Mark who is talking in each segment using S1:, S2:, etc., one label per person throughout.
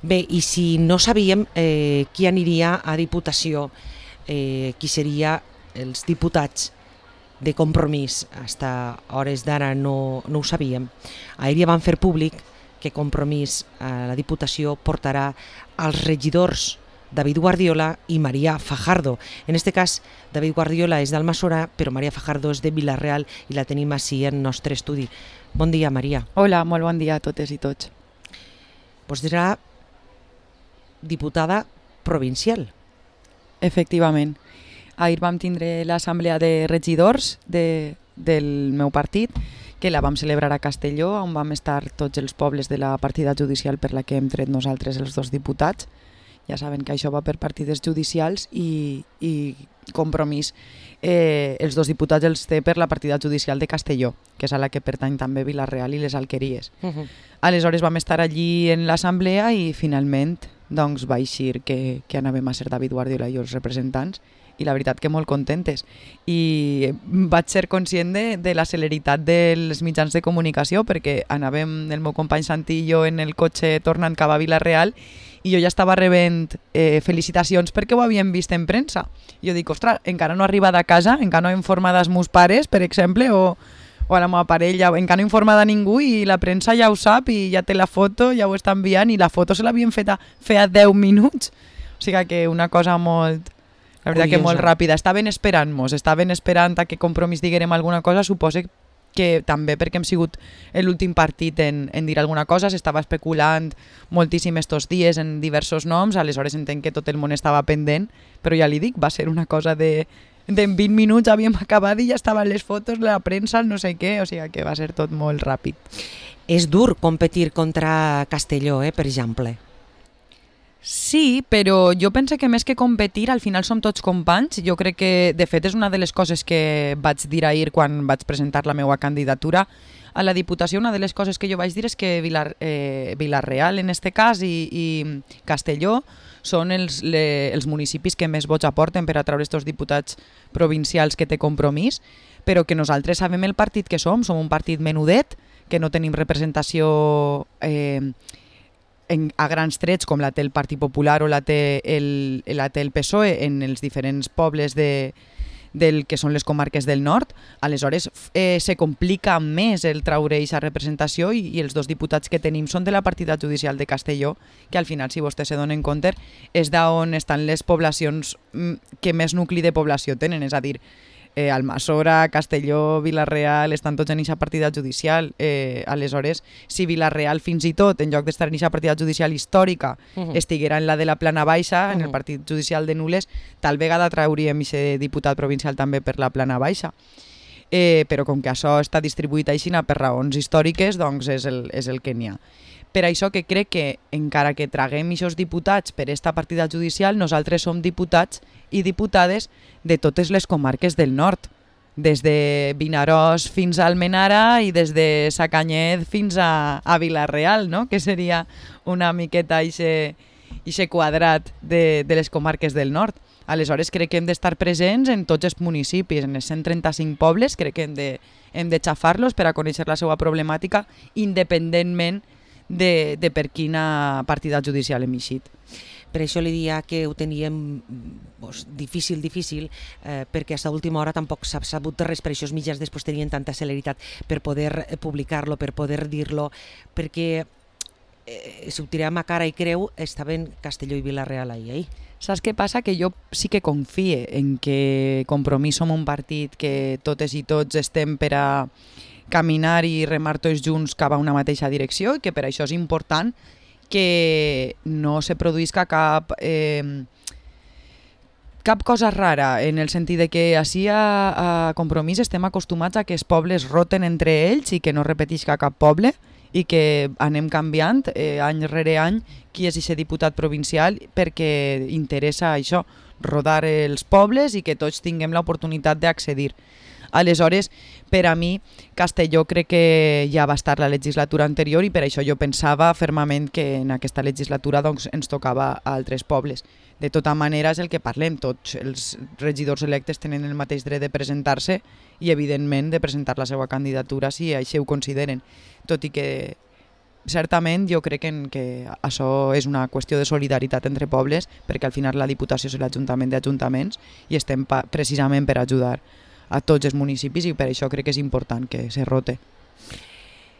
S1: Bé, i si no sabíem qui aniria a Diputació, qui seria els diputats de Compromís, fins a hores d'ara no ho sabíem. Ahir ja van fer públic que Compromís a la Diputació portarà als regidors David Guardiola i Maria Fajardo. En aquest cas, David Guardiola és d'Almassora, però Maria Fajardo és de Vila-real i la tenim així en nostre estudi. Bon dia, Maria.
S2: Hola, molt bon dia a totes i tots.
S1: Pues serà diputada provincial.
S2: Efectivament. Ahir vam tindre l'assemblea de regidors del meu partit, que la vam celebrar a Castelló, on vam estar tots els pobles de la partida judicial per la que hem tret nosaltres els dos diputats. Ja saben que això va per partides judicials i Compromís. Els dos diputats els té per la partida judicial de Castelló, que és a la que pertany també Vila-real i les Alqueries. Aleshores vam estar allí en l'assemblea i finalment doncs, va eixir que anàvem a ser David Guardiola i els representants, i la veritat que molt contentes. I vaig ser conscient de la celeritat dels mitjans de comunicació, perquè anàvem el meu company Santi i jo en el cotxe tornant cap a Vila-real i jo ja estava rebent felicitacions perquè ho havíem vist en premsa. Jo dic, ostres, encara no ha arribat a casa, encara no he informat els meus pares, per exemple, o a la meva parella, encara no he informat a ningú i la premsa ja ho sap i ja té la foto, ja ho està enviant i la foto se l'havien fet feia 10 minuts. O sigui que una cosa molt... La veritat que molt ràpida. Estaven esperant a que Compromís diguérem alguna cosa, suposo que també perquè hem sigut l'últim partit en dir alguna cosa, s'estava especulant moltíssim estos dies en diversos noms, aleshores entenc que tot el món estava pendent, però ja li dic, va ser una cosa de 20 minuts havíem acabat i ja estaven les fotos, la premsa, no sé què, o sigui que va ser tot molt ràpid.
S1: És dur competir contra Castelló, per exemple.
S2: Sí, però jo penso que més que competir, al final som tots companys. Jo crec que, de fet, és una de les coses que vaig dir ahir quan vaig presentar la meva candidatura a la Diputació. Una de les coses que jo vaig dir és que Vila-real, en este cas, i Castelló són els municipis que més vots aporten per a treure aquests diputats provincials que té Compromís, però que nosaltres sabem el partit que som un partit menudet, que no tenim representació a grans trets com la té el Partit Popular o la té el PSOE en els diferents pobles del que són les comarques del nord. Aleshores se complica més el treure aquesta representació i els dos diputats que tenim són de la partida judicial de Castelló, que al final, si vostès se donen compte, és d'on estan les poblacions que més nucli de població tenen, és a dir, Almassora, Castelló, Vila-real, estan tots en aquesta partida judicial. Aleshores, si Vila-real fins i tot, en lloc d'estar en aquesta partida judicial històrica, estiguera en la de la Plana Baixa, en el partit judicial de Nules, tal vegada trauríem aquest diputat provincial també per la Plana Baixa. Però com que això està distribuït així per raons històriques, doncs és el que n'hi ha. Per això que crec que, encara que traguem aquests diputats per aquesta partida judicial, nosaltres som diputats i diputades de totes les comarques del nord, des de Vinaròs fins a Almenara i des de Sacanyet fins a Vila-real, no? Que seria una miqueta aquest quadrat de les comarques del nord. Aleshores crec que hem d'estar presents en tots els municipis, en els 135 pobles, crec que hem de xafar-los per a conèixer la seva problemàtica independentment de per quina partida judicial hem eixit.
S1: Per això li dia que ho teníem difícil, perquè a l'última hora tampoc s'ha sabut res, per això els mitjans després tenien tanta celeritat per poder publicar-lo, per poder dir-lo, perquè si ho tirem a cara i creu, estaven Castelló i Vila-real ahir.
S2: Saps què passa? Que jo sí que confie en que Compromís som un partit que totes i tots estem per a caminar i remar tots junts cap a una mateixa direcció i que per això és important que no se produïsca cap cosa rara, en el sentit de que així a Compromís estem acostumats a que els pobles roten entre ells i que no repetisca cap poble i que anem canviant any rere any qui és aquest diputat provincial perquè interessa això, rodar els pobles i que tots tinguem l'oportunitat d'accedir. Aleshores, per a mi, Castelló crec que ja va estar la legislatura anterior i per això jo pensava fermament que en aquesta legislatura doncs, ens tocava a altres pobles. De tota manera és el que parlem, tots els regidors electes tenen el mateix dret de presentar-se i evidentment de presentar la seva candidatura si així ho consideren, tot i que certament jo crec que això és una qüestió de solidaritat entre pobles, perquè al final la Diputació és l'Ajuntament d'Ajuntaments i estem precisament per ajudar a tots els municipis i per això crec que és important que se rote.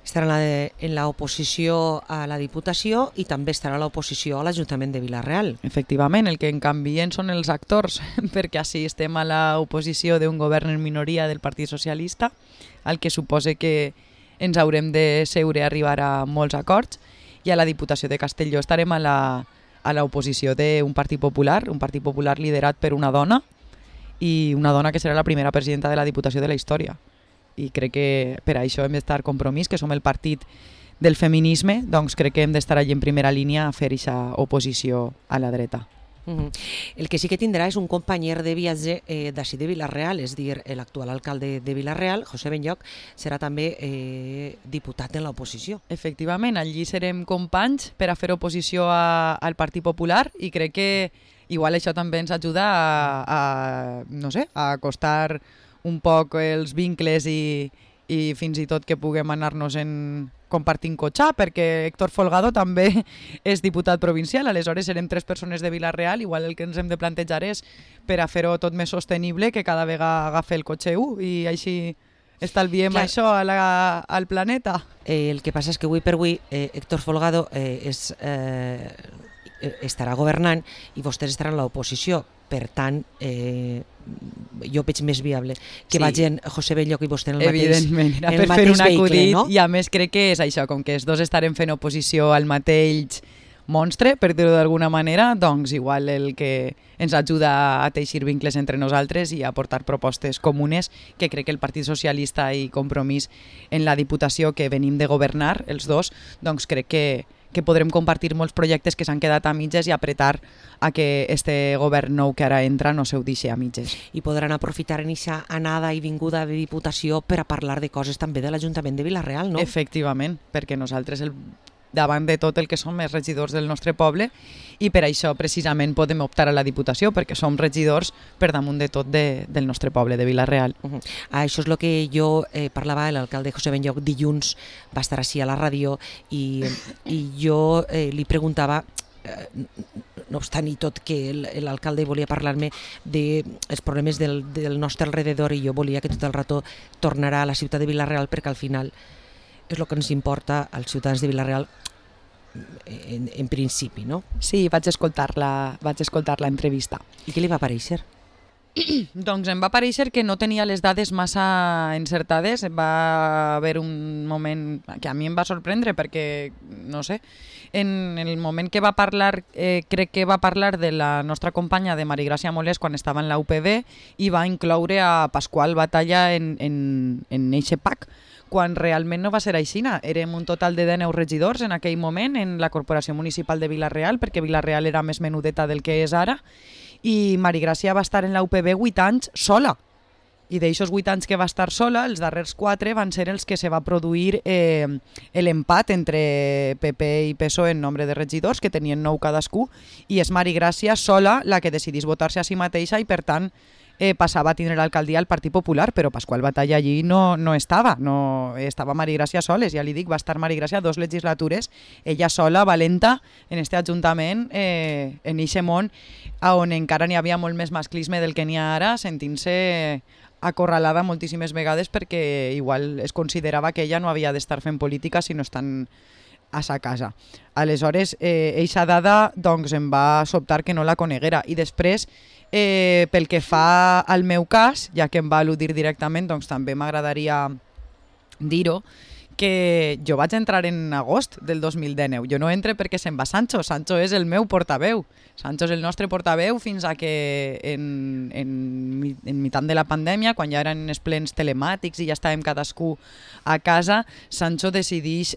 S1: Estarà en l'oposició a la Diputació i també estarà a l'oposició a l'Ajuntament de Vila-real.
S2: Efectivament, el que en canvien són els actors, perquè així estem a l'oposició d'un govern en minoria del Partit Socialista, el que suposa que ens haurem de seure a arribar a molts acords, i a la Diputació de Castelló estarem a l'oposició d'un Partit Popular liderat per una dona, i una dona que serà la primera presidenta de la Diputació de la història. I crec que per això hem d'estar Compromís, que som el partit del feminisme, doncs crec que hem d'estar allí en primera línia a fer aquesta oposició a la dreta.
S1: El que sí que tindrà és un companyer de viatge d'ací de Vila-real, és a dir, l'actual alcalde de Vila-real, José Benlloch, serà també diputat en l'oposició.
S2: Efectivament, allí serem companys per a fer oposició al Partit Popular i crec que igual això també ens ajuda a acostar un poc els vincles i fins i tot que puguem anar-nos compartint cotxar, perquè Héctor Folgado també és diputat provincial, aleshores serem 3 persones de Vila-real, igual el que ens hem de plantejar és per a fer-ho tot més sostenible que cada vegada agafi el cotxe 1 i així estalviem això al planeta.
S1: El que passa és que avui per avui Héctor Folgado estarà governant i vostès estaran a l'oposició. Per tant, jo veig més viable que vagin José Benlloch i vostè en el mateix vehicle, no?
S2: I a més crec que és això, com que els dos estarem fent oposició al mateix monstre, per dir-ho d'alguna manera, doncs igual el que ens ajuda a teixir vincles entre nosaltres i a portar propostes comunes, que crec que el Partit Socialista i Compromís en la Diputació que venim de governar, els dos, doncs crec que podrem compartir molts projectes que s'han quedat a mitges i apretar a que este govern nou que ara entra no se ho deixi a mitges.
S1: I podran aprofitar en aquesta anada i vinguda de Diputació per a parlar de coses també de l'Ajuntament de Vila-real, no?
S2: Efectivament, perquè nosaltres davant de tot el que som els regidors del nostre poble i per això precisament podem optar a la Diputació, perquè som regidors per damunt de tot del nostre poble, de Vila-real.
S1: Això és el que jo parlava, l'alcalde José Benlloch dilluns va estar així a la ràdio i jo li preguntava, no obstant i tot que l'alcalde volia parlar-me dels problemes del nostre alrededor i jo volia que tot el rato tornarà a la ciutat de Vila-real perquè al final és el que ens importa als ciutadans de Vila-real en principi, no?
S2: Sí, vaig escoltar l'entrevista.
S1: I què li va parèixer?
S2: Doncs em va parèixer que no tenia les dades massa encertades. Va haver un moment que a mi em va sorprendre perquè, no sé, en el moment que va parlar, crec que va parlar de la nostra companya de Marigràcia Molés quan estava en la UPB i va incloure a Pasqual Batalla en eixe pack, quan realment no va ser aixina. Érem un total de 19 regidors en aquell moment en la Corporació Municipal de Vila-real, perquè Vila-real era més menudeta del que és ara, i Marigràcia va estar en la UPB 8 anys sola. I d'aixòs 8 anys que va estar sola, els darrers 4 van ser els que se va produir l'empat entre PP i PSOE en nombre de regidors, que tenien 9 cadascú, i és Marigràcia sola la que decidís votar-se a si mateixa i, per tant, passava a tindre l'alcaldia al Partit Popular, però Pasqual Batalla allí no estava, estava Marigràcia soles, ja li dic, va estar Marigràcia 2 legislatures, ella sola, valenta, en este ajuntament, en eixe món, on encara n'hi havia molt més masclisme del que n'hi ha ara, sentint-se acorralada moltíssimes vegades perquè igual es considerava que ella no havia d'estar fent política si no estan a sa casa. Aleshores, eixa dada doncs, em va sobtar que no la coneguera. I després, pel que fa al meu cas, ja que em va al·ludir directament, doncs també m'agradaria dir-ho, que jo vaig entrar en agost del 2019. Jo no entre perquè se'n va Sancho. Sancho és el meu portaveu. Sancho és el nostre portaveu fins a que en mitant de la pandèmia, quan ja eren els plens telemàtics i ja estàvem cadascú a casa, Sancho decideix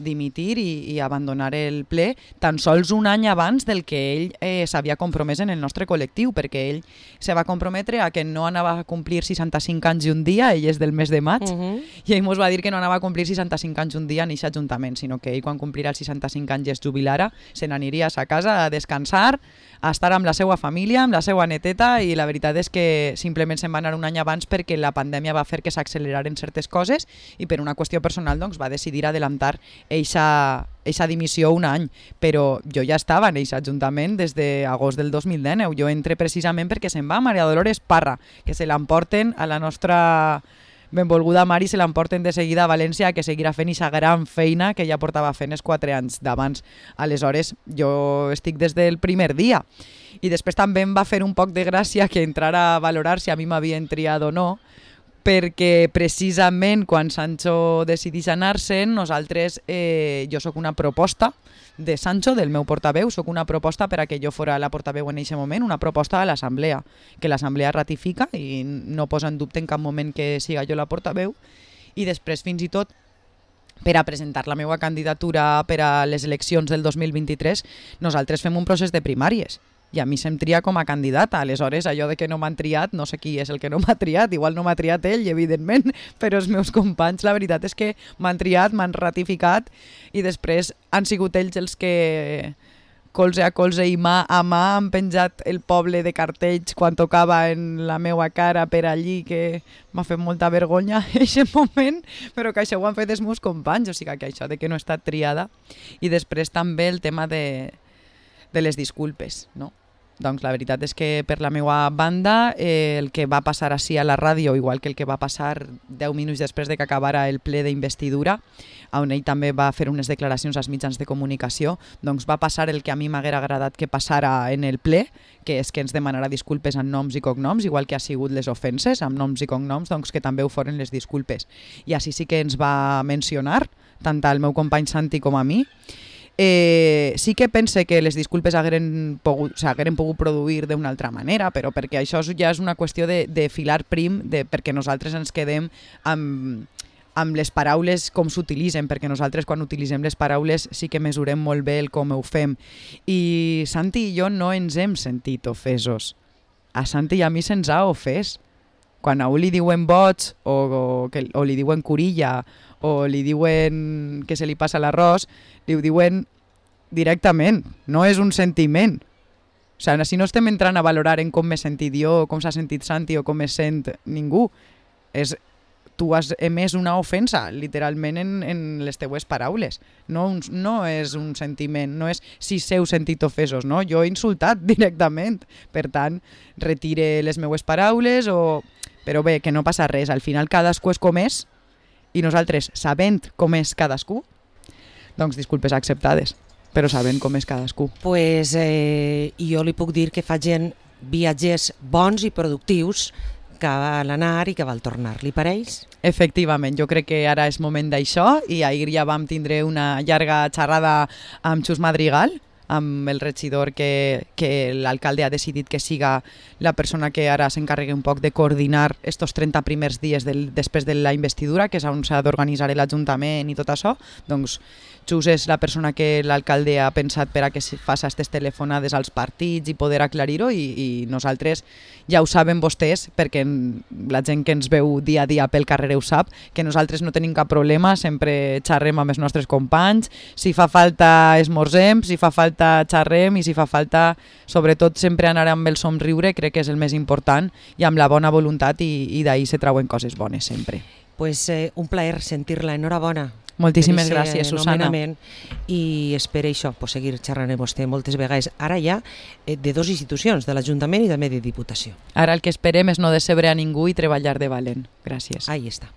S2: dimitir i abandonar el ple tan sols un any abans del que ell s'havia compromès en el nostre col·lectiu, perquè ell se va comprometre a que no anava a complir 65 anys i un dia, ell és del mes de maig, i ell ens va dir que no anava a complir 65 anys un dia en aquest ajuntament, sinó que ell quan complirà els 65 anys i es jubilarà, se n'aniria a sa casa a descansar, a estar amb la seva família, amb la seva neteta, i la veritat és que simplement se'n va anar un any abans perquè la pandèmia va fer que s'acceleraren certes coses i per una qüestió personal doncs, va decidir adelantar eixa dimissió un any, però jo ja estava en aquest ajuntament des d'agost del 2019. Jo entré precisament perquè se'n va Maria Dolores Parra, que se l'emporten a la nostra benvolguda Mari, se l'emporten de seguida a València, que seguirà fent aquesta gran feina que ja portava fent els 4 anys d'abans. Aleshores, jo estic des del primer dia. I després també em va fer un poc de gràcia que entrara a valorar si a mi m'havien triat o no, perquè precisament quan Sancho decidís anar-se'n, nosaltres, jo sóc una proposta de Sancho, del meu portaveu, sóc una proposta per a que jo fora la portaveu en aquest moment, una proposta a l'Assemblea, que l'Assemblea ratifica i no posa en dubte en cap moment que siga jo la portaveu, i després fins i tot per a presentar la meva candidatura per a les eleccions del 2023, nosaltres fem un procés de primàries. I a mi se'm tria com a candidata. Aleshores, allò de que no m'han triat, no sé qui és el que no m'ha triat, igual no m'ha triat ell, evidentment, però els meus companys, la veritat és que m'han triat, m'han ratificat, i després han sigut ells els que colze a colze i mà a mà han penjat el poble de cartells quan tocava en la meua cara per allí, que m'ha fet molta vergonya en aquest moment, però que això ho han fet els meus companys, o sigui que això de que no he estat triada. I després també el tema de les disculpes, no? Doncs la veritat és que per la meva banda el que va passar així a la ràdio, igual que el que va passar 10 minuts després de que acabara el ple d'investidura, on ell també va fer unes declaracions als mitjans de comunicació, doncs va passar el que a mi m'haguera agradat que passara en el ple, que és que ens demanarà disculpes amb noms i cognoms, igual que ha sigut les ofenses amb noms i cognoms, doncs que també ho foren les disculpes. I així sí que ens va mencionar, tant al meu company Santi com a mi. Sí que pense que les disculpes hagueren pogut produir d'una altra manera, però perquè això ja és una qüestió de filar prim, perquè nosaltres ens quedem amb les paraules com s'utilitzen, perquè nosaltres quan utilitzem les paraules sí que mesurem molt bé el com ho fem. I Santi i jo no ens hem sentit ofesos. A Santi i a mi se'ns ha ofès. Quan a un li diuen boig o li diuen curilla o li diuen que se li passa l'arròs, li ho diuen directament, no és un sentiment. O sigui, si no estem entrant a valorar en com m'he sentit jo, com s'ha sentit Santi o com es sent ningú, tu has emès una ofensa literalment en les teues paraules. No és un sentiment, no és si s'heu sentit ofesos, no? Jo he insultat directament. Per tant, retire les meues paraules però bé, que no passa res. Al final cadascú és com és i nosaltres, sabent com és cadascú, doncs disculpes acceptades, però sabent com és cadascú.
S1: Pues jo li puc dir que fa gent viatgers bons i productius que val anar i que val tornar. Li pareix?
S2: Efectivament, jo crec que ara és moment d'això i ahir ja vam tindre una llarga xerrada amb Xus Madrigal, amb el regidor que l'alcalde ha decidit que siga la persona que ara s'encarregui un poc de coordinar estos 30 primers dies després de la investidura, que és on s'ha d'organitzar l'Ajuntament i tot això. Doncs Xus és la persona que l'alcalde ha pensat per a que se faci aquestes telefonades als partits i poder aclarir-ho, i nosaltres ja ho saben vostès, perquè la gent que ens veu dia a dia pel carrer ho sap, que nosaltres no tenim cap problema, sempre xerrem amb els nostres companys, si fa falta esmorzem, si fa falta xerrem i si fa falta, sobretot, sempre anar amb el somriure, crec que és el més important, i amb la bona voluntat, i d'ahir se trauen coses bones sempre.
S1: Pues un plaer sentir-la, enhorabona.
S2: Moltíssimes gràcies, Susana.
S1: I espero això, seguir xerrant amb vostè moltes vegades, ara ja de dues institucions, de l'Ajuntament i també de Diputació.
S2: Ara el que esperem és no decebre a ningú i treballar de valent. Gràcies.
S1: Ahí està.